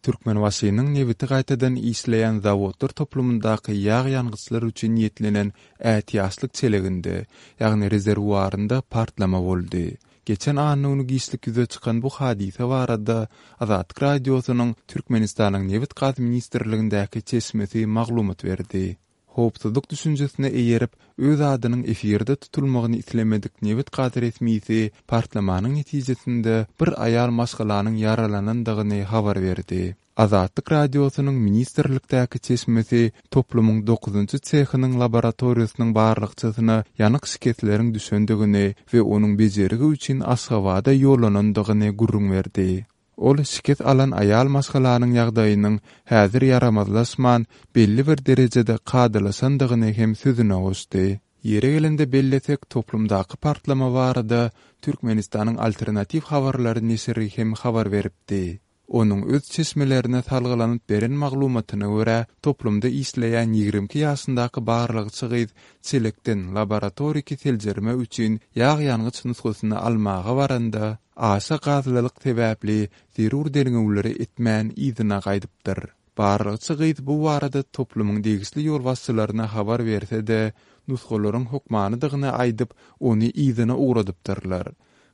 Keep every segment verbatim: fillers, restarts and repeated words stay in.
Türkmenbaşynyň nebiti gaýtadan işleýän zawodlar toplumyndaky ýag ýangyçlar üçin niýetlenen ätiýaçlyk çeleginde, ýagny rezerwuarynda partlama boldy. Geçen anna güni giçlik ýüze çykan bu hadysa barada Azatlyk Radiosynyň Türkmenistanyň Nebit-gaz ministrligindäki çeşmesi maglumat berdi. Howpsuzlyk düşünjesine eýerip, öz adynyň efirde tutulmagyny islemedik nebit-gaz resmisi partlamanyň netijesinde bir aýal maşgalanyň ýaralanandygyny habar berdi. Azatlyk Radiosynyň ministrlikdäki çeşmesi toplumyň dokuzynjy sehynyň laboratoriýasynyň barlagçysyna ýanyk şikesleriň düşendigini we onuň bejergi üçin Aşgabada ýollanandygyny gürrüň berdi. Ol şikes alan aýal maşgalanyň ýagdaýynyň häzir ýaramazlaşman, belli bir derejede kadalaşandygyny hem sözüne goşdy. Ýeri gelende bellesek, toplumdaky partlama barada Türkmenistanyň Alternatiw habarlary neşiri hem habar beripdi. Onuň öz çeşmelerine salgylanyp beren maglumatyna görä, toplumda işleýän ýigrimi iki ýaşyndaky barlagçy gyz çelekden laboratoriki seljerme üçin ýag ýangyç nusgasyny almaga baranda, aşa gazlylyk sebäpli zerur derňewleri etmän yzyna gaýdypdyr. Barlagçy gyz bu barada toplumyň degişli ýolbaşçylaryna habar berse-de, nusgalaryň hökmanydygyny aýdyp, ony yzyna ugradypdyrlar.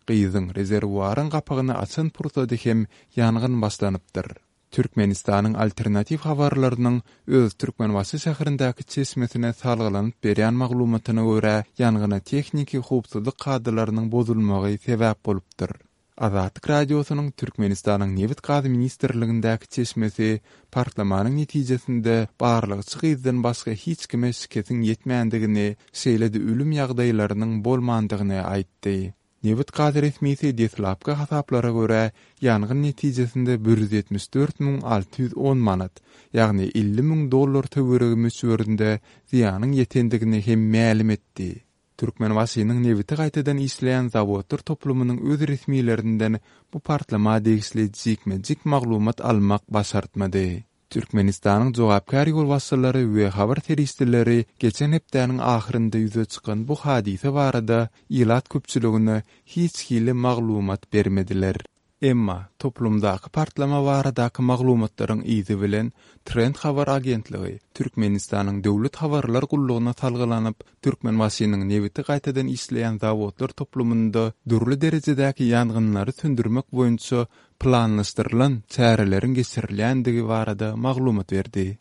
Gyzyň rezerwuaryň gapagyny açan pursady hem ýangyn başlanypdyr. Türkmenistanyň Alternatiw habarlarynyň öz Türkmenbaşy şäherindäki çeşmesine salgylanyp berýän maglumatyna görä, ýangyna tehniki howpsuzlyk kadalarynyň bozulmagy sebäp bolupdyr. Azatlyk Radiosynyň Türkmenistanyň Nebit-gaz ministrligindäki çeşmesi partlamanyň netijesinde barlagçy gyzdan başga hiç kime şikesiň ýetmändigini, şeýle-de ölüm ýagdaýlarynyň bolmandygyny aýtdy. Nebit-gaz resmisi deslapky hasaplara görä, ýangyn netijesinde bir ýüz ýetmiş dört müň alty ýüz on manat, ýagny elli müň dollar töweregi möçberinde zyýanyň ýetendigini hem mälim etdi. Türkmenbaşynyň nebiti gaýtadan işleýän zawodlar toplumynyň öz resmilerinden bu partlama degişli jikme-jik maglumat almak başartmady. Türkmenistanyň jogapkär ýolbaşçylary we habar serişdeleri geçen hepdäniň ahyrynda ýüze çykan bu hadysa barada ilat köpçüligine hiç hili maglumat bermediler. Emma toplumdaky partlama baradaky maglumatlaryň yzy bilen Trend habar agentligi Türkmenistanyň Döwlet habarlar gullugyna salgylanyp, Türkmenbaşynyň nebiti gaýtadan işleýän zawodlar toplumynda dürli derejedäki ýangynlary söndürmek boýunça planlaşdyrylan çäreleriň geçirilýändigi barada maglumat berdi.